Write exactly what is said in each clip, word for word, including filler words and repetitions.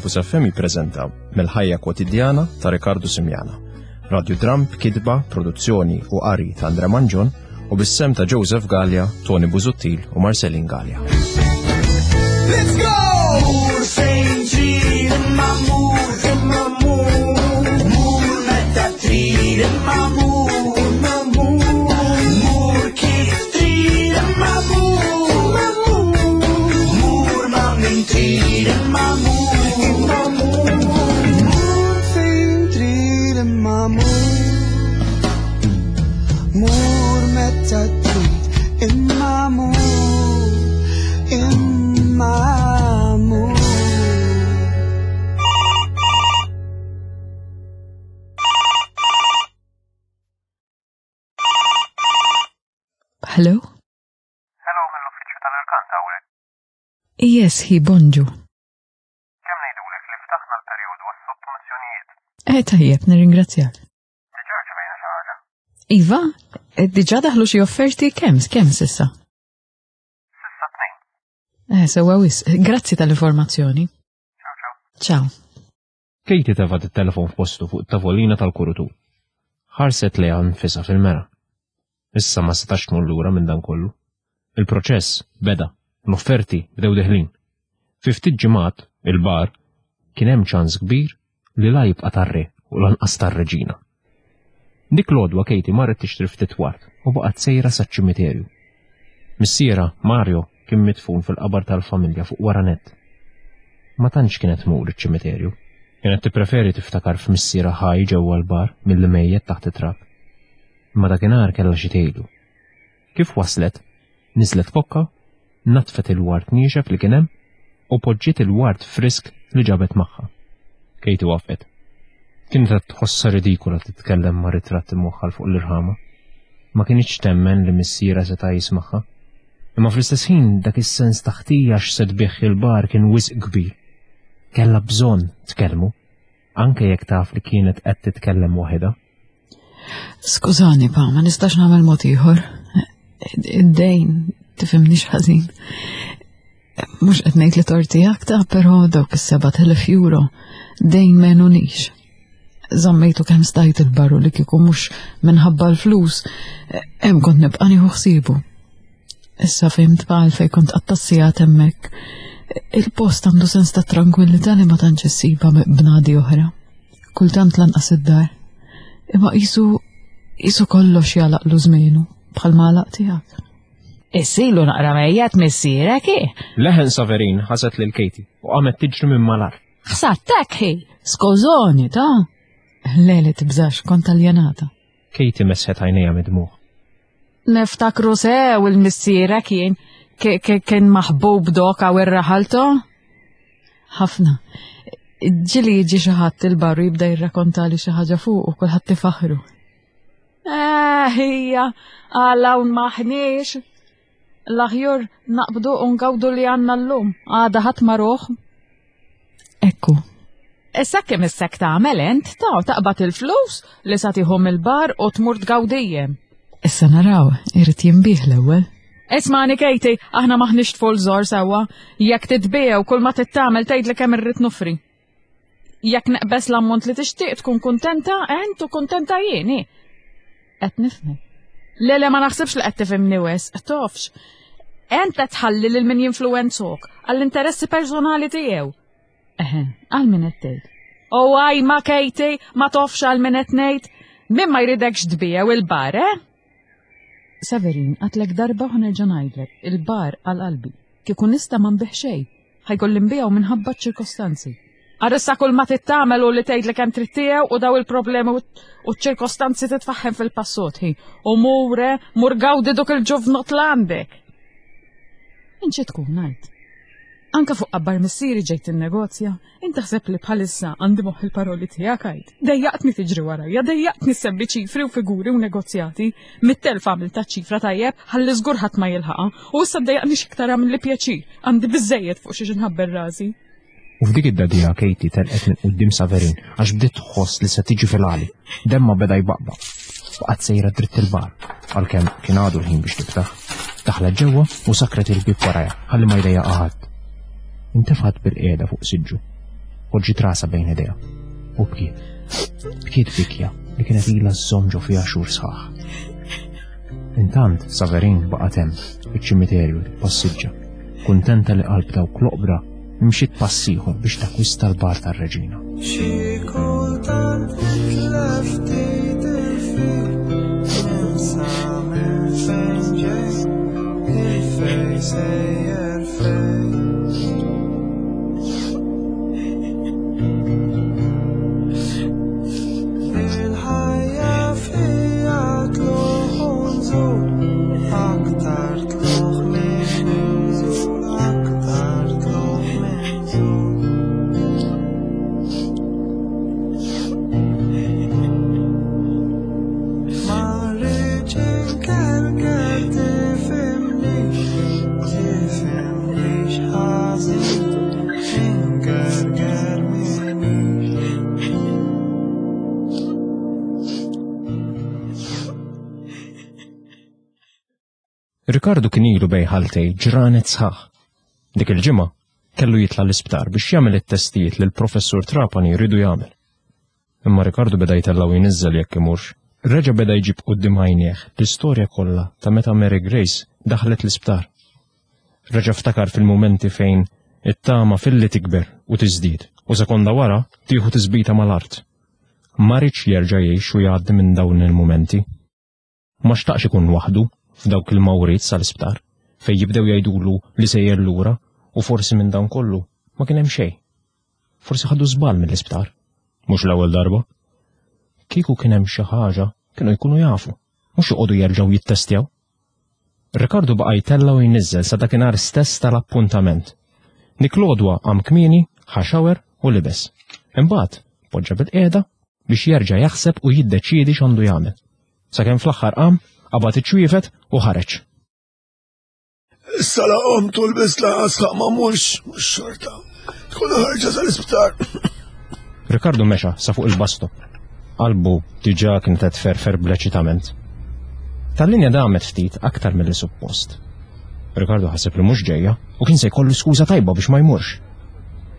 Campus F M jippreżenta Mill-ħajja kwotidjana ta' Riccardo Simiana. Radio Dram b'kitba, produzzjoni u qari ta' Andre Mangion u bis-sem ta' Joseph Galea, Tony Busuttil u Marcelin Galea. Let's go! Mur fejn trid imma mur, imma mur. Mur meta trid imma mur, imma mur. Mur kif trid imma mur, imma mur. Mur ma' min trid imma mur, imma mur. Mur fejn trid imma mur. Mur meta trid imma mur, imma mur. Hello? Hello, mill-uffiċċju tal-Irkanta hawnhekk. Yes, hi, bonġu. Kemm ngħidulek li ftaħna l-perjodu għas-sottomissjonijiet? Eh, tajjeb, nirringrazzjak. Diġà rċevejna xi ħaġa. Iva, eh, diġà daħlu xi offerti kemm, kemm s'issa? S'issa tnejn. Eh, sewwa wisq. Grazzi tal-informazzjoni. Ciao, ciao. Ciao. Katie tefgħet it-telefon f'postu fuq it-tavolina tal-kurutur. Ħarset lejha nfisha fil-mera. Issa ma setax tmur lura minn dan kollu. Il-proċess beda, l-offerti bdew deħlin. Fi ftit ġimgħat, il-bar, kien hemm ċans kbir li la jibqa' tar-re u lanqas tar-reġina. Dik l-għodwa Katie marret tixtri ftit ward u baqgħet sejra saċ-ċimiterju. Missiera, Mario, kien midfun fil-qabar tal-familja fuq wara nett. Ma tantx kienet tmur iċ-ċimiterju. Kienet tippreferi tiftakar f'missiera ħaj ġewwa l-bar milli mejjet taħt it-trab. Imma dakinhar kellha xi tgħidu. Kif waslet, niżlet kokka, natfet il-ward niexef li kien hemm u poġġiet il-ward frisk li ġabet magħha. Katie waqfet. Kienet qed tħossha ridikola titkellem ma' ritratt imwaħħal fuq l-irħama. Ma kinitx temmen li missiera seta' jismagħha. Imma fl-istess ħin dak is-sens ta' ħtija x'se tbigħ il-bar kien wisq kbir. Kellha bżonn tkellmu, anke jekk taf li kienet qed titkellem waħedha. Skużani, pa, ma nistax nagħmel mod ieħor. Id-dejn, tifhimnix ħażin. Mhux qed ngħid li torti aktar, però dawk is-seba' telef euro dejn m'għenunix. Żammejtu kemm stajt il-barru li kieku mhux minħabba l-flus, hemm kont nibqa' nieħu ħsiebu. Issa fhimt pa għalfejn kont qatta' hemmhekk. Il-post għandu sens ta' tranquillità li ma tantx issibha b'nadi oħra. Kultant lanqas id-dar. Imma qisu, qisu kollox jalaqlu żmienu bħal ma għalaq tiegħek. Issilu naqra mejjet missierek, i? Leħen Saverin ħaset lil Katie u qamet tiġri minn malar. Ħsattek hi. Skużoni, ta? Le, li tibżax, kont aljenata. Katie mesħet għajnejha mid-dmugħ. Niftakru sew il-missierek jien ki-, ki-, kien maħbub dok għaw ir-raħalto? Ħafna. Ġili jiġi xi ħadd il-barru jibda jirrakkontali xi ħaġa fuq u kulħadd tifaħru. Eh, hija, għal hawn maħniex. L-aħjur naqbdu u ngawdu li għandna llum, għada ħadd ma ruħ. Ekku. Issa kemm issek tagħmel int, ta' taqbad il-flus li sa tieħu mill-bar u tmur tgawdijem. Issa naraw, irid jinbih l-ewwel. Ismani Katie, aħna maħniex tful żor sewwa. Jekk titbiegħu kull ma tittamel tgħidli kemm irrid nofri. Jekk neqbes l-ammont li tixtieq tkun kuntenta ent u kuntenta jien, hi. Qed nifhmek. Le, le, ma naħsibx li qed tifhimni wisq, tofx. Ent qed tħalli lil min jinfluwenzok għall-interessi personali tiegħu. Eħe, għal min qed tgħid. O għaj ma Katie, ma tofx għal min qed ngħid. Min ma jridekx tbiegħu il-bar, eh? Severin, għatlek darba u nerġa' ngħidlek, il-bar għal qalbi. Kieku nista' ma nbih xejn, ħajkolli nbiegħu minħabba ċ-ċirkostanzi. Għarissa kull ma tittamel u li tgħidlek kemm trid tiegħu u daw il-problemi u ċ-ċirkostanzi titfaħħem fil-passot, hi. U mure, mur gawdi dok il-ġuvnot l-għandek. Inċi tkun ngħid. Anka fuq qabbar missieri ġejt in-negozja, inti taħseb li bħalissa għandi moħħ il-paroli tiegħek għid. Dejjaqtni tiġri warajja, dejjaqtni sebbi ċifri u figuri u negozjati. Mit-telf għamil ta' ċifra tajjeb, ħalli żgur ħadd ma jilħaqha. U issa ddejjaqni x'iktar għamil li pjaċir, għandi biżejjed fuq xi nħabber rasi. U f'dik id-dadija Katie telqet minn quddiem Saverin għax bdiet tħoss li se tiġi fil-għali. Demma beda jbaqbaq. Baqgħet sejra dritt il-bar, għalkemm kien għadu l-ħin biex tiftaħ. Daħlet ġewwa u sakret il-bieb warajha ħalli ma jdejjaqha ħadd. Intefgħet bil-qiegħda fuq siġġu. Poġġiet rasha bejn idejha u bkiet. Bkiet bikja li kienet ilha żżomm ġo fiha xhur sħaħ. Intant, Saverin baqgħet hemm, fiċ-ċimiterju tippassiġġa, kuntenta li qalb dawk l-oqbra mxiet pass ieħor biex takkwista l-bar tar-reġina. Xi kultant nitlef ftit il-fil, ninsa minn fejn ġej, il-fejn sejjer fejn. Il-ħajja fija tluħ u nżul, aktar tluħ minn nżul, aktar tluħ minn nżul. Ma rridx inkerker tifhimnix, tifhimnix ħażin, inkerker minix. Ricardo kien ilu bejn ħaltej ġranet sħaħ. Dik il-ġimgħa kellu jitla' l-isptar biex jagħmel it-testijiet li l-professur Trapani jridu jagħmel. Imma Ricardo beda jtellgħu jniżżel jekk imurx. Reġa' beda jġib quddiem għajnejh l-istorja kollha ta' meta Mary Grace daħlet l-isptar. Reġa' ftakar fil-mumenti fejn it-tama filli tikber u tiżdied u sekonda wara tieħu tisbita mal-art. Ma riedx jerġa' jgħix u jgħaddi minn dawn il-mumenti. Ma xtaqx ikun waħdu f'dawk il-mawriet sal-isptar fejn jibdew jgħidulu li sejjer lura u forsi minn dawn kollu ma kien hemm xejn. Forsi ħadu żball mill-isptar. Mhux l-ewwel darba. Kieku kien hemm xi ħaġa kienu jkunu jafu, mhux joqogħdu jerġgħu jittestjaw. Ricardo baqa' jtella' u jniżżel sa dakinhar stess tal-appuntament. Dik l-għodwa qam kmieni, ħa shower u libes. Imbagħad poġġa bil-qiegħda biex jerġa' jaħseb u jiddeċiedi x'għandu jagħmel. Sakemm fl-aħħar qam, qabad iċ-ċwievet u ħareġ. Issa la qomt u lbist lanqas ħaq ma mhux, mhux xorta. Tkun ħarġa sal-isptar. Ricardo mexa sa fuq il-bus stop. Qalbu diġà kienet qed tferfer bl-eċitament. Tal-linja damet ftit aktar milli suppost. Ricardo ħaseb li mhux ġejja u kien se jkollu skuża tajba biex ma jmurx.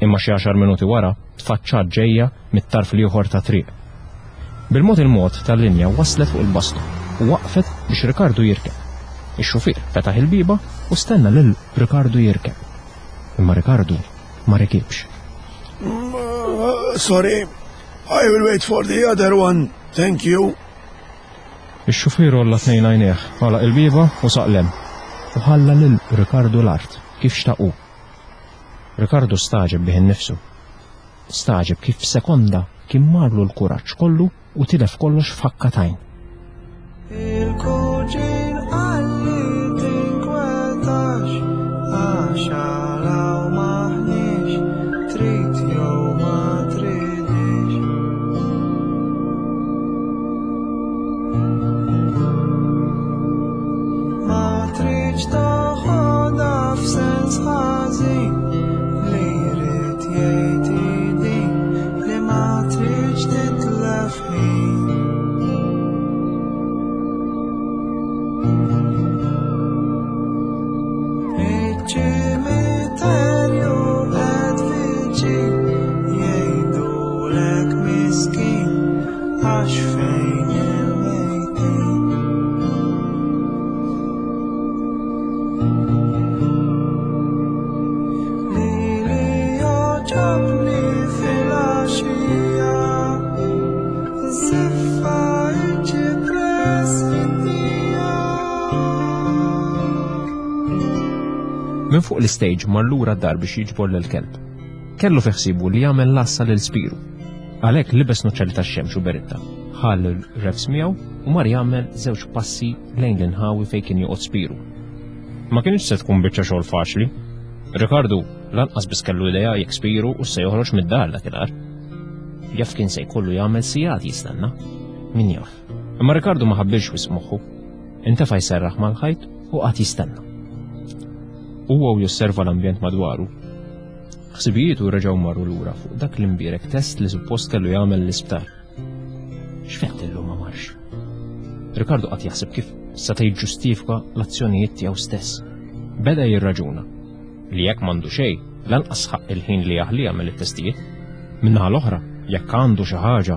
Imma xi għaxar minuti wara tfaċċat ġejja mit-tarf l-ieħor ta' triq. Bil-mod il-mod tal-linja waslet fuq il-bus stop u waqfet biex Ricardo jirkeb. Ix-xufier fetaħ il-bieba u stenna lil Ricardo jirkeb. Imma Ricardo ma rikibx. Mm, Sorry, I will wait for the other one. Thank you. Ix-xufier għolla tnejn għajnejh, għalaq il-bieba u saqlem. U ħalla lil Ricardo l-art kif xtaqu. Ricardo staġeb bih innifsu. Staġeb kif f'sekonda kien marlu l-kuraġġ kollu u tilef kollox f'ħakka t'għajn. Il-kuġin qalli tinkwetax, għax għalaw maħniex, trid jew ma tridix. Ma tridx toħodha f'sens ħażin, li jrid jgħid din, li ma tridx titlef ħin. Iċ-ċimiterju qed viċin, jgħidulek miskin, għax fejn il-mejtin. Lili joġobni fil-għaxija, żiffa iċ-ċipress fid-dija. Minn fuq l-stage mar lura d-dar biex jiġbor lil-kelb. Kellu fi ħsiebu li jagħmel lassa lil Spiru. Għalhekk libes nuċċali tax-xemx u beritta, ħa lil Revs miegħu u mar jagħmel żewġ passi lejn l-inħawi fejn kien joqgħod Spiru. Ma kienx se tkun biċċa xogħol faċli. Ricardo lanqas biss kellu idea jekk Spiru u se joħroġ mid-dar dakinhar. Jaf kien se jkollu jagħmel sigħat jistenna. Min jaf. Imma Ricardo ma ħabbilx wisq moħħu. Intefa' jserraħ mal-ħajt u qagħad jistenna. Huwa u josserva l-ambjent madwaru. Ħsibijietu reġgħu marru lura fuq dak l-imbierek test li suppost kellu jagħmel l-isptar. X'fett illum ma marx? Ricardo qagħad jaħseb kif seta' jiġġustifika l-azzjonijiet tiegħu stess. Beda jirraġuna li jekk m'għandu xejn, lanqas ħaq il-ħin li jaħli jagħmel it-testijiet. Min-naħa l-oħra, jekk għandu xi ħaġa,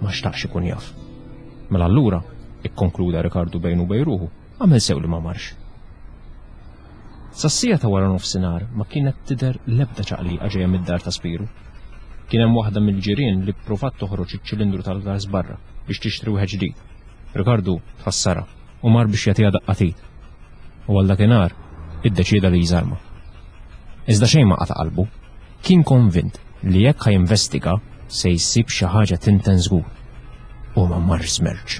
ma xtaqx ikun jaf. Mela allura, ikkonkluda Rikardu bejnu u bejn ruħu, għamel sew li ma marx. Sas-siegħa ta' wara nofsinhar ma kienet tidher l-ebda ċaqliqa ġejja mid-dar ta' Spiru. Kien hemm waħda mill-ġirien li ppruvat toħroġ iċ-ċilindru tal-gas barra biex tixtri wieħed ġdid. Rikardu tħassarha u mar biex jagħtiha daqqa t'id. U għal dakinhar iddeċieda li jżarma. Iżda xejn ma qata' qalbu. Kien konvint li jekk ħa jinvestiga se jsib xi ħaġa tinten żgur. U ma marx żmerċ.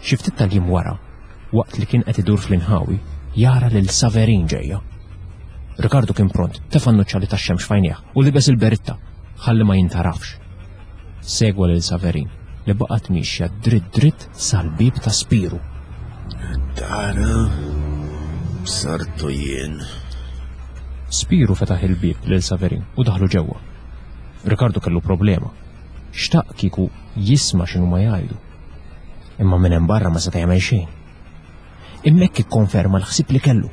Xi ftit tal-jiem wara, waqt li kien qed idur fl-inħawi, jara lil Saverin ġejja. Rikardu kien pront, tefa' n-nuċċali tax-xemx f'għajnejh u libes il-beritta ħalli ma jintarafx. Segwa lil Saverin li baqgħet mixja dritt dritt sal-bieb ta' Spiru. Tara, bsartu jien. Spiru fetaħ il-bieb lil Saverin u daħlu ġewwa. Rikardu kellu problema. Xtaq kieku jisma' x'inhu ma jgħidu. Imma minn hemm barra ma seta' jagħmel xejn. Imma hekk ikkonferma l-ħsieb li kellu.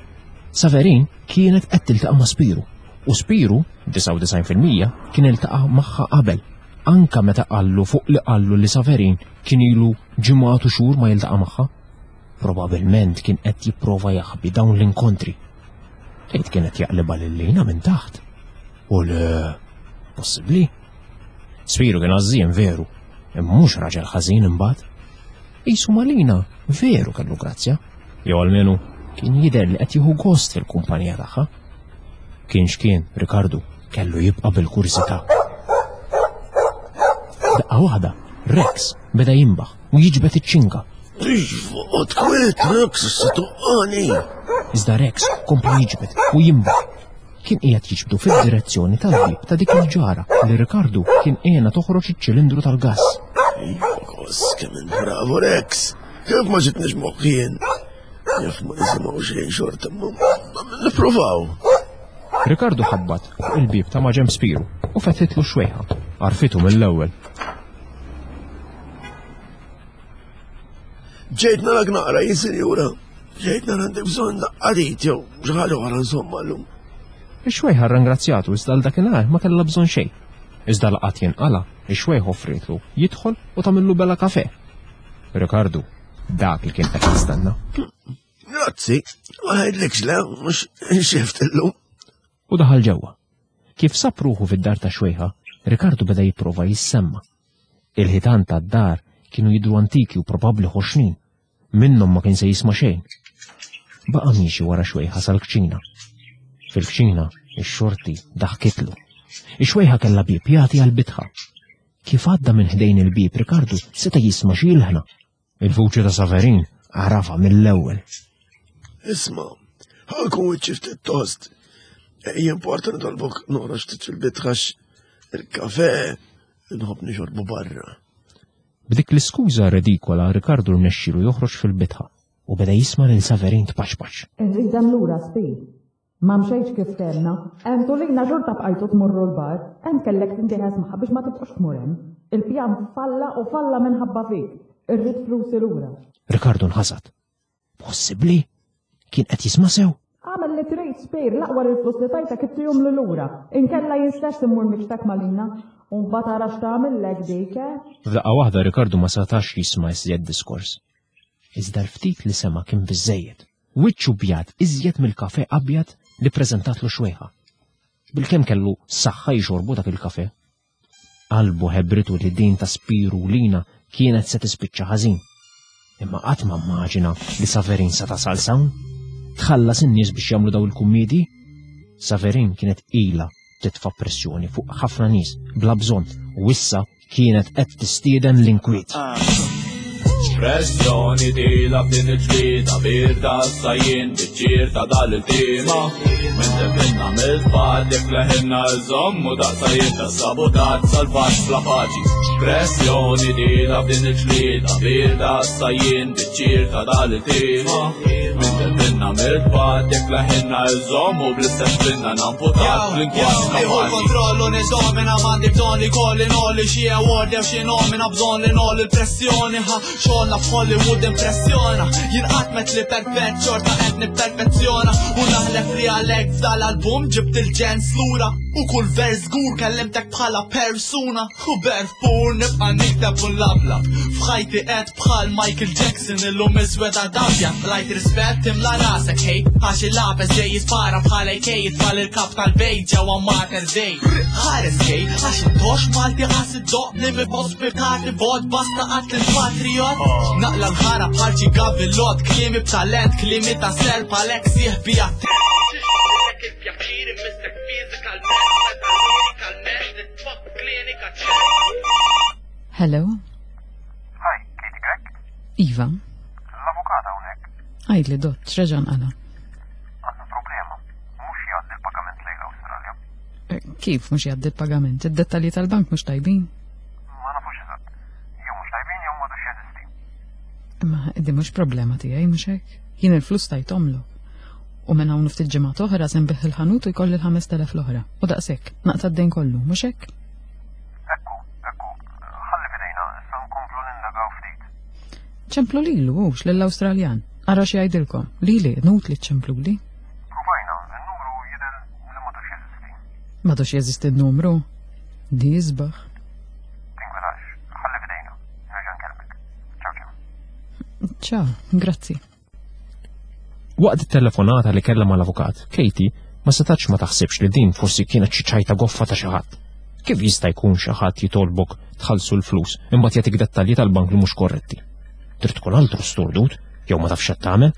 Saverin kienet qed tiltaqa' ma' Spiru u Spiru, disgħa u disgħin fil-mija, kien iltaqa' magħha qabel. Anka meta qallu fuq li qallu li Saverin kien ilu ġimgħat u xhur ma jiltaqa' magħha. Probabilment kien qed jipprova jaħbi dawn l-inkontri. Tgħid kien qed jaqlibha lil Lina minn taħt. U le, possibbli. Spiru kien għażżien veru, imma mhux raġel ħażin imbagħad. Qisu ma' Lina veru kellu grazzja, jew almenu kien jidher li qed jieħu gost fil-kumpanija tagħha. Kien x'kien, Rikardu kellu jibqa' bil-kurżità. Daqqa waħda, Rex beda jimbaħ u jiġbed iċ-ċinga. Oqgħod kwiet, Rex, se tuqqani. Iżda Rex kompla jiġbed u jimbaħ. Kien qiegħed jiġbdu fid-direzzjoni tal-bieb ta' dik il-ġara li Rikardu kien għenha toħroġ iċ-ċilindru tal-gass. Kos, kemm int bravo, Rex. Kif ma ġitniex moħħi jien. Jaf ma nisimgħu xejn xorta, ma nippruvaw. Rikardu ħabbat fuq il-bieb ta' maġenb Spiru u fetħitlu xwejħa. Għarfitu mill-ewwel. Ġejt narak naqra, jien sinjura. Ġejt nara għandek bżonn daqqa t'id jew xi ħaġa oħra insomma llum. Ix-xwejħa rringrazzjatu iżda għal dakinhar ma kellha bżonn xejn. Iżda laqat jinqala, ix-xwejħ offrietlu jidħol u tagħmillu bela kafe. Rikardu, dak li kien qed jistenna. Grazzi, ma ngħidlikx le, mhux inxift illum. U daħal ġewwa. Kif sab ruħu fid-dar ta' xwejħa, Rikardu beda jipprova jissemma. Il-ħitan tad-dar kienu jidhru antiki u probabbli ħoxnin. Minnhom ma kien se jisma' xejn. Baqa' miexi wara xwejħa sal-kċina. Fil-kċina, ix-xorti daħkitlu. Ix-xwejħa kellha bieb jagħti għall-bitħa. Kif għadda minn ħdejn il-bieb, Rikardu seta' jisma' xi ilħna. Il-vuċi ta' Saverin għarafa mill-ewwel. Isma', ħa nkun wiċċi ftit tost. Jimporta nitolbok noħroġ ftit fil-bitħa il-kafe nħobb nixorbu barra. B'dik l-iskuża redikola Rikardu rnexxielu joħroġ fil-bitħa u beda jisma' lil Saverin tpaċpaċ. Irridem lura Spir. Ma mxejtx kif ftehemna. Ent u Lina xorta bqajtu tmorru l-bar. Ent kellek tintiħes magħha biex ma tibqax tmur hemm. Il-pjan falla u falla minħabba fik. Irrid flusi lura. Rikardu nħasad. Possibbli? Kien qed jisma' sew? Għamel li trid Spir, l-aqwa il-flus li tajtek ittihomli lura. Inkella jien stess immur nikxtek ma' Lina. U mbagħad ara x'tagħmillek dik, eh? F'daqqa waħda Rikardu ma setax jisma' iżjed diskors. Iżda l-ftit li sema' kien biżejjed. Wiċċu bjad iżjed mill-kafe abjad li preżentatlu xwejħa. Bilkemm kellu saħħa jxorbu dak il-kafe. Qalbu ħebritu li din ta' Spiru u Lina kienet se tispiċċa ħażin. Imma qatt ma immaġina li Saverin sa tasal s'hawn. Tħallas in-nies biex jagħmlu daw il-kummedi. Saverin kienet ilha titfa' pressjoni fuq ħafna nies bla bżonn u issa kienet qed tistieden l-inkwiet. Pressjoni tila f'din il-ġlieda birda sajjin biċ-ċir ta' dal-iltima. Minn defenna mill-tfal jekk leħinna iżommu daqsajjin ta' sabotaġġ salvaġġ bla paċi. Pressjoni tila f'din il-ġlieda birda sajjin biċ-ċir ta' dal-iltima. Minn defenna mill-tfal jekk leħinna iżommu bl-istess pinna namputat fl-inkwaġġ Nieħu kapaċi. l-kontrollu nidomina m'għandi bżonn li kolli nolli xi award jew xi nomina bżonn li nolli l-pressjoni ħa xogħolna f'Hollywood impressjona. Jien qatt met li perfett xorta qed nipperfezzjona u naħlef li għalhekk f'dal-album ġibt il-ġens lura. U kull vers żgur kellimtek bħala persuna. U berf pur nibqa' nikteb u nlablab. F'ħajti qed bħal Michael Jackson illum iswed għad-abjad. Lajt rispett imla rasek hej, għax il-lapes ġej jispara bħal A K jitfal il-kap tal-bejt ġewwa Mater Dei. Ħares hej, għax it-tox Malti qas id-doq li mi pospitati bot basta qatt il-patriot. Naqla l-ħara bħal xi gavillot, kliemi b'talent, kliemi ta' serp għalhekk sieħbi għat- Hello? Hi, Katie Grech? Iva. L-avukat hawnhekk. Għidli dott, x'reġa' nqala? Għandna problema. Mhux jgħaddi l-pagament lejn l-Awstralja. Eh, Kif mhux jgħaddi l-pagament? Id-dettalji tal-bank mhux tajbin? Ma nafux eżatt. Jew mhux tajbin jew m'għadux jeżisti. Imma di mhux problema tiegħi mhux hekk. Jien il-flus tajthomlok. U minn hawn ftit ġimgħat oħra se nbigħ il-ħanut u jkolli l-ħames telef l-oħra. U daqshekk, naqta' d-dejn kollu, mhux hekk? Ekku, ekku, ħalli fidejna, issa nkomplu nindagaw ftit. Ċemplu lilu, hux lill-Awstraljan. Ara xi jgħidilkom. Lili, inutli ċempluli. Provajna, il-numru jidher li m'għadux jeżisti. M'għadux jeżisti n-numru. Di isbaħ. Tinkwetax, ħalli fidejna. Nerġa' nkellmek. Ciao, ciao. Ciao, grazzi. Waqt it-telefonata li kellha mal-avukat, Katie ma setax ma taħsibx li din forsi kienet xi ċajta goffa ta' xi ħadd. Kif jista' jkun xi ħadd jitolbok tħallsu l-flus imbagħad jagħtik dettalji tal-bank li mhux korretti? Trid tkun altru sturdut jew ma tafx x'qed tagħmel?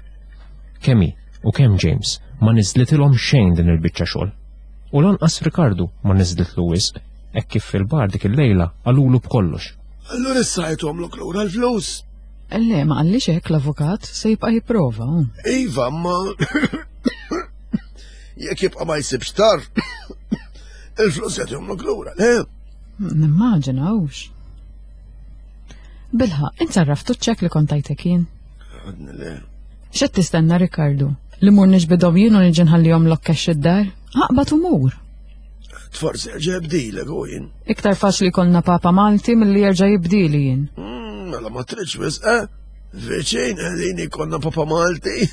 Kemm hi u kemm James ma niżlitilhom xejn din il-biċċa xogħol. U lanqas Ricardo ma niżlitlu wisq, hekk kif fil-bar dik il-lejla qalulu b'kollox. Allura issa jagħtuhomlok lura l-flus. Le, ma qallix hekk l-avukat, se jibqa' jipprova. hu. Iva, ma jekk jibqa' ma jsibx tar, il-flus jagħtuhomlok lura, le? Nimmaġina hux. Bilħa, int sarraftu ċ-ċekk li kont tajtek jien. Għadni le. X'qed tistenna, Ricardo? Li mur niġbidhom jien u niġi nħallihom lok cash id-dar? Aqbad u mur. Forsi jerġa' jibdilek u jien. Iktar faċli jkollna Papa Malti milli jerġa' jibdili jien. Mm, Mela ma tridx wisq, eh? Viċin qegħdin ikollna Papa Malti.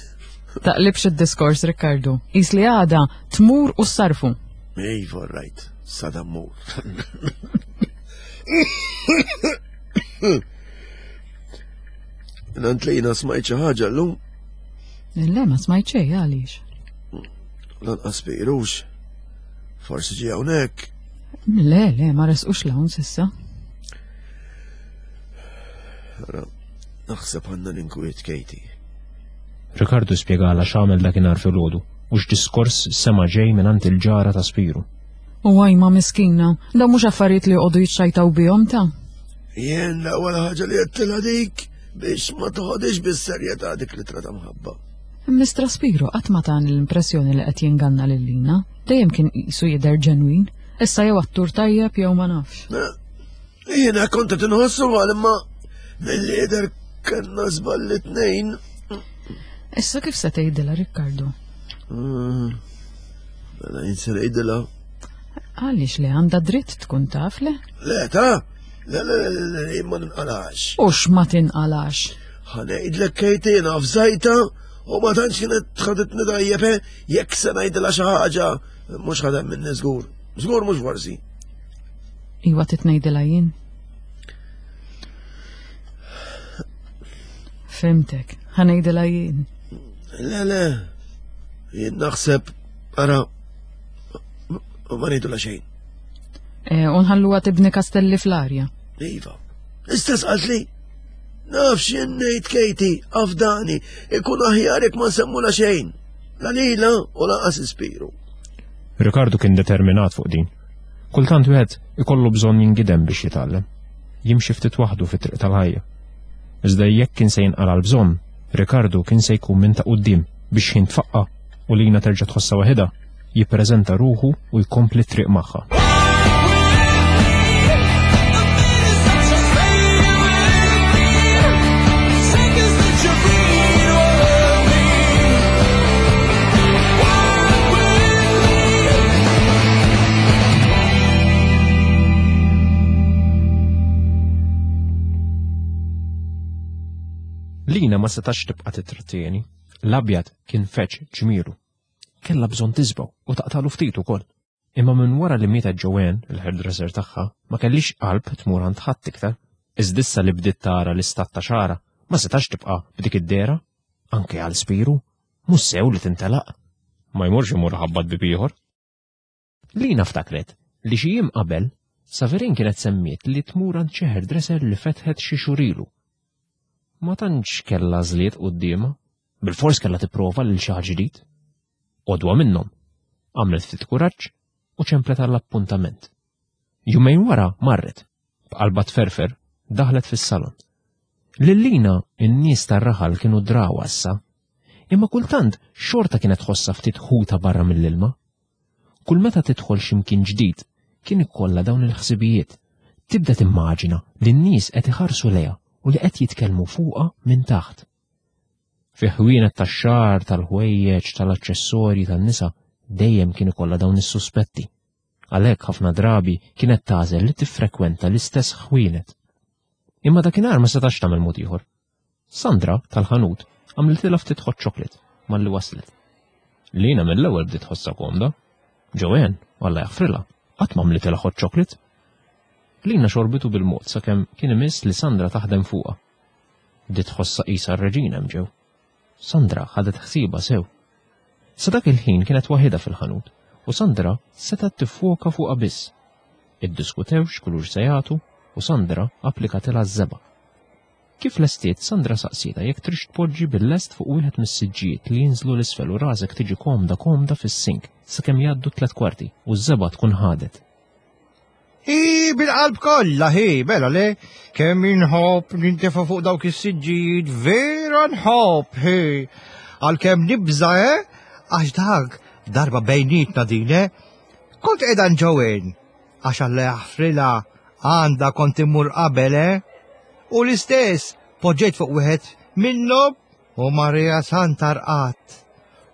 Taqlibx id-diskors, Ricardo. Is li għada tmur u sarfu. Iva, right. Sada mmur. Nant li jina smajt xi ħaġa llum? Le, ma smajt xejn, għaliex? Lanqas Spirux. Forsi ġie hawnhekk. Le, le, ma resqux l-hawn s'issa. Ara, naħseb għandna l-inkwiet, Katie. Ricardo spjegala x'għamel dakinhar filgħodu u x'diskors sema' ġej mingħand il-ġara ta' Spiru. U għajma miskina, daw mhux affarijiet li joqogħdu jiċċajtaw bihom ta'. Jien l-ewwel ħaġa li għedtilha dik biex ma toħodix bis-serjetà dik li trata mħabba. Mistra Spiro qatt ma tani l-impressjoni li qed jinganna lil Lina, dejjem kien qisu jidher ġenwin, issa jew attur tajjeb jew ma nafx. Eh, Jiena kont qed inħossu għal imma milli jidher kellna żball it-tnejn. Issa kif se tgħidilha, Riccardo? Mm. Mela jien se ngħidilha. Għaliex le għandha dritt tkun taf le? Le ta' le le le le, le, jien ma ninqalax. U x'ma tinqalax? Ħa ngħidlek Katie jiena fżajta u ma tantx kienet ħaditni tajjeb, eh? Jekk se ngħidilha xi ħaġa, mhux ħadem minni żgur. Żgur mhux forsi. Iwa trid ngħidilha jien. Fimtek, ħa ngħidilha jien. Le, le, jien naħseb, ara, ma ngħidulha xejn. Eh, u nħalluha tibni kastelli fl-arja. Iva, istess qaltli. Naf x'jien ngħid Katie, afdani, ikun aħjar jekk ma nsemmula xejn. La lila u lanqas Ispiru. Ricardo kien determinat fuq din. Kultant wieħed ikollu bżonn jingidem biex jitgħallem. Jimxi ftit waħdu fit-triq tal-ħajja. Iżda jekk kien se jinqala l-bżonn, Ricardo kien se jkun minn ta' quddiem biex ħin tfaqqa u Lina terġa' tħossha waħedha, jippreżenta ruħu u jkompli t-triq magħha. Lina ma setax tibqa' titrattieni. L-abjad kien feċ ġmielu. Kellha bżonn tisbaw u taqtalu ftit ukoll. Imma minn wara li mietet Joanne, il-hairdresser tagħha, ma kellix qalb tmur għand ħadd iktar. Iżda issa li bdiet tara l-istat ta' xagħarha, ma setax tibqa' b'dik id-dehra. Anke għal Spiru, mhux sew li tintelaq. Ma jmurx imur ħabbat bieb ieħor. Lina ftakret li xi jiem qabel Saverin kienet semmiet li tmur għand xi hairdresser li fetħet xi xhur ilu. Ma tantx kellha għażliet quddiemha, bilfors kellha tipprova lil xi ħadd ġdid. Għodwa minnhom, għamlet ftit kuraġġ u ċemplet għall-appuntament. Jumejn wara marret, b'qalba tferfer, daħlet fis-salon. Lil Lina in-nies tar-raħal kienu drawha issa, imma kultant xorta kienet tħossha ftit ħuta barra mill-ilma. Kull meta tidħol x'imkien ġdid, kien ikollha dawn il-ħsibijiet. Tibda timmaġina li n-nies qed iħarsu lejha u li qed jitkellmu fuqha minn taħt. Fi ħwienet tax-xagħar, tal-ħwejjeġ, tal-aċċessorji tan-nisa dejjem kien ikollha dawn is-suspetti. Għalhekk ħafna drabi kienet tagħżel li tiffrekwenta l-istess ħwienet. Imma dakinhar ma setax tagħmel mod ieħor. Sandra tal-ħanut għamlitilha ftit hot chocolate malli waslet. Lina mill-ewwel bdiet tħossha komda. Joanne, Alla jaħfrilha, qatt ma għamlitilha hot chocolate. Lina xorbitu bil-mod sakemm kien imiss li Sandra taħdem fuqha. Bdiet tħossha qisha r-reġina hemm ġew. Sandra ħadet ħsiebha sew. Sa dak il-ħin kienet waħidha fil-ħanut u Sandra setgħet tiffoka fuqha biss. Iddiskutew x'kulur se jagħtu u Sandra applikatilha ż-żebgħa. Kif lestiet, Sandra saqsietha jekk tridx tpoġġi bil-lest fuq wieħed mis-siġġijiet li jinżlu 'l isfel u rasek tiġi komda komda fis-sink sakemm jgħaddu tliet kwarti u ż-żebgħa tkun ħadet. Hi, bil-qalb kollha, hi, mela le, kemm inħobb nintefa' fuq dawk is-siġġijiet, vera nħobb, hi. Għalkemm nibża, eh? Għax dak darba bejnietna din, eh? Kont qiegħda Joanne, għax Alla jaħfrilha għandha kont immur qabel, eh? U l-istess, poġġejt fuq wieħed minnhom u Marija Santa rqadt.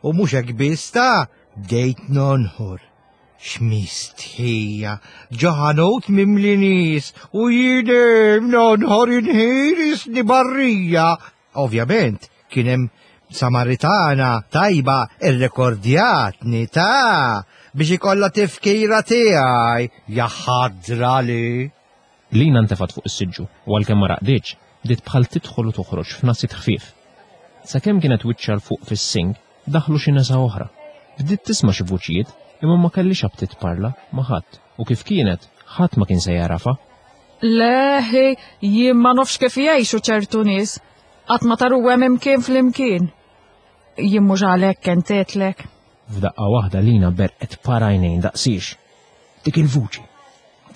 U mhux hekk biss ta' bdejt nonħor. X'mistħija, ġo ħanut mimli nies u jien nonħor inħir isni barrija. Ovvjament, kien hemm Samaritana tajba irrekordjatni ta' biex ikollha tifkira tiegħi jaħadra li. Lina ntefat fuq is-siġġu u għalkemm ma raqditx, bdiet bħal tidħol u toħroġ f'nasiet ħfief. Sakemm kienet wiċċha 'l fuq fis-sink, daħlu xi nisa oħra. Bdiet tisma' xi vuċijiet imma ma kellix aptit tparla ma' ħadd u kif kienet, ħadd ma kien se jagħrafha. Leħi, jien ma nafx kif jgħixu ċertu nies, qatt ma taruhem imkien flimkien. Jien mhux għalhekk kentetlek. F'daqqa waħda Lina berqet par għajnejn daqsiex. Dik il-vuċi.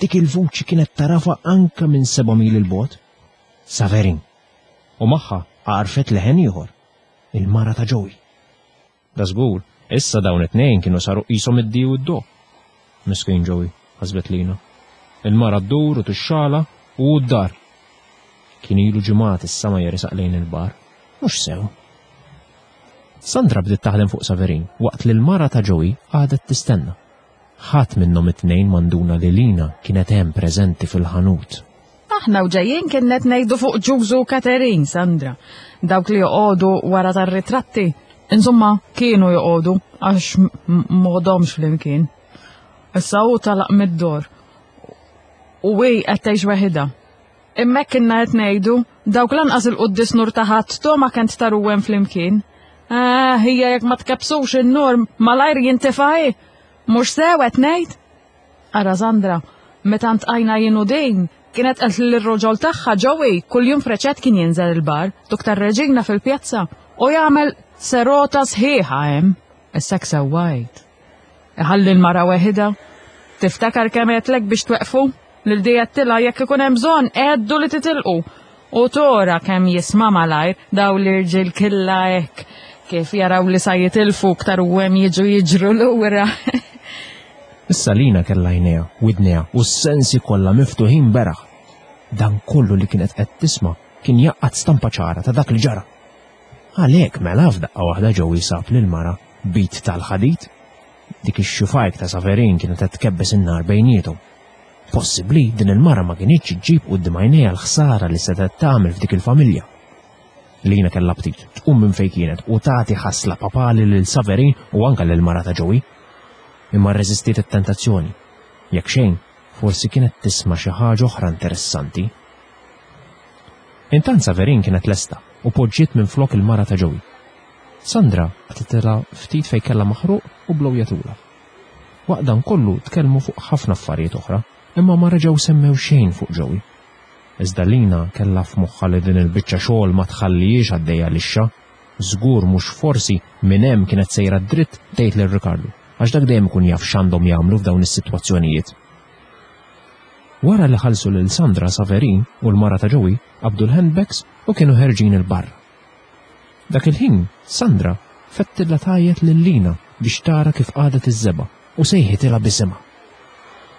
Dik il-vuċi kienet tagħrafha anke minn seba' mil 'il bogħod. Saverin. U magħha għarfet leħen ieħor. Il-mara ta' Joey. Da żgur, issa dawn it-tnejn kienu saru qishom id-di u d-do. Miskin Joey, ħasbet Lina. Il-mara ddur u tixxala u d-dar. Kien ilu ġimgħat issa ma jersaq lejn il-bar. Mhux sew. Sandra bdiet taħdem fuq Saverin waqt li l-mara ta' Joey għadet tistenna. Ħadd minnhom it-tnejn m'induna li Lina kienet hemm preżenti fil-ħanut. Aħna u ġejjin kienet ngħidu fuq Ġużu u Katerin, Sandra. Dawk li joqogħdu wara tar-ritratti. Insomma, kienu joqogħdu għax m'għodomx flimkien. Issa hu talaq mid-dor. U hi qed tgħix weħidha. Imma kienna qed ngħidu dawk lanqas il-quddis nur ta' ħadd to ma kent taruhem flimkien. Ah, hija jekk ma tkebsux in-nur malajr jintefa' hi. Mhux sew qed ngħid? Ara Sandra, meta ntqajna jien u din, kienet qed lir-roġol tagħha Joey kuljum freċet kien jinżel il-bar, duk tar-reġina fil-pjazza u jagħmel serota sħiħa hemm. Issa sewwa għid. Iħalli l-mara weħida. Tiftakar kemm għedtlek biex tweqfu? Lil dijettilha jekk ikun hemm bżonn għeddu li titilqu. U tora kemm jisma' malajr daw l-irġiel killa hekk kif jaraw li sa jitilfu ktar u hemm jiġu jiġru lura. Issa Lina kellha għajnejha, widnejha u s-sensi kollha miftuħin beraħ. Dan kollu li kienet qed tisma' kien jgħaqqad stampa ċara ta' dak li ġara. Għalhekk mela f'daqqa waħda Joey sab lil mara b'id tal-ħadid. Dik ix-xufajk ta' Saverin kienet qed tkebbes in-nar bejniethom. Possibbli din il-mara ma kinitx iġġib quddiem għajnejha l-ħsara li setgħet tagħmel f'dik il-familja. Lina kellha aptit tqum minn fejn kienet u tagħti ħasla papali lil Saverin u anke lil mara ta' Joey. imma rreżistiet it-tentazzjoni. Jekk xejn, forsi kienet tisma' xi ħaġa oħra interessanti. Intant Saverin kienet lesta u poġġiet minflok il-mara ta' Joey. Sandra qatgħetilha ftit fejn kellha maħruq u blowjatulha. Waqt dan kollu tkellmu fuq ħafna affarijiet oħra, imma ma reġgħu semmew xejn fuq Joey. Iżda Lina kellha f'moħħha li din il-biċċa xogħol ma tħallihiex għaddejja lixxa. Żgur mhux forsi minn hemm kienet sejra dritt tgħid lil Ricardo, għax dak dejjem ikun jaf x'għandhom jagħmlu f'dawn is-sitwazzjonijiet. Wara li ħallsu lil Sandra, Saverin u l-mara ta' Joey qabdu l-handbags u kienu ħerġin 'il barra. Dak il-ħin, Sandra fettilha tgħajjet lil Lina biex tara kif qagħdet iż-żebgħa u sejħitilha b'isimha.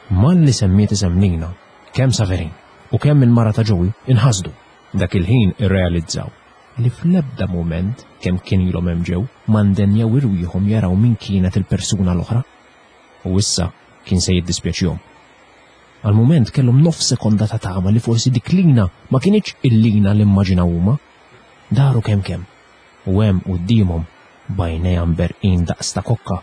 Malli semmiet isem Lina, kemm Saverin u kemm il-mara ta' Joey inħasdu. Dak il-ħin irrealizzaw li fl-ebda mument kemm kien ilhom hemm ġew ma ndenjaw irwieħhom jaraw min kienet il-persuna l-oħra. U issa kien se jiddispjaċihom. Għal mument kellhom nofs sekonda ta' tama li forsi dik Lina ma kinitx il-Lina li immaġinaw huma. Daru kemm kemm. U hemm quddiemhom b'għajnejha mberqin daqs ta' kokka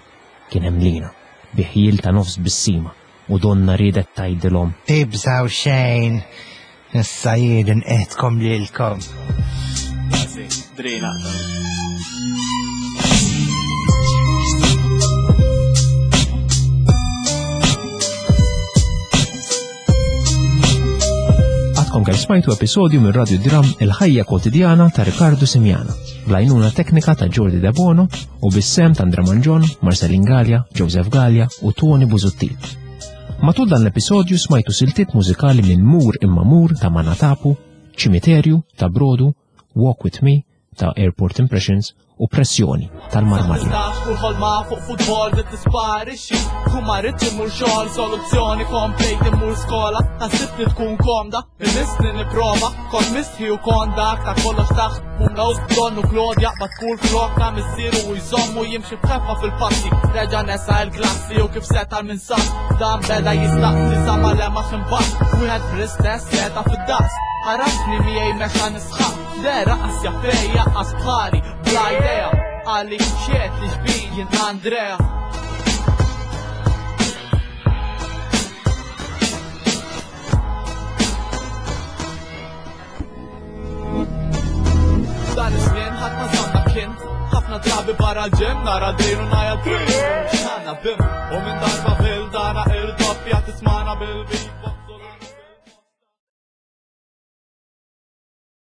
kien hemm Lina bi ħjiel ta' nofs tbissima u donna riedet tgħidilhom. Tibżaw xejn, issa jien inqedkom lilkom. Drina. Għadkom kemm smajtu episodju minn Radio Dram Il-Ħajja Kwotidjana ta' Riccardo Simiana, bl-għajnuna teknika ta' Jordi Debono u bis-sehem ta' Andra Mangion, Marcelin Galea, Joseph Galea u Tony Busuttil. Matul dan l-episodju smajtu siltiet mużikali minn Mur Imma Mur ta' Manatapu, Ċimiterju ta' Brodu, Walk With Me ta' Airport Impressions u Pressjoni tal-Marmalja. Tistax kull ħolma fuq futbol li tisparixxi. Kull ma rridx immur xogħol, soluzzjoni komplejt immur skola. Ħassibni tkun komda, imissni nipprova. Kont mistħi u kont dak ta' kollox taħt pumla u donnu Claude jaqbad kull flok ta' missieru u jżommu jimxi b'ħeffa fil-passi. Reġa' nesa l-klassi u kif seta' minn sas. Dan beda jistaqsi sa ma lemax imbagħad. Wieħed fl-istess seta' fid-daqs. Għarafni miegħi mexa nisħaq. Dera qas jaffejja qas bħali bla idea. Għalli xiet li xbin jien Andrea. Dan iż-żmien ħadd ma żamma kien. Ħafna drabi barra l-ġim nara drin u ngħajja drin. X'għandna bim u minn darba fil dara il-doppja tismana bil-beatbox.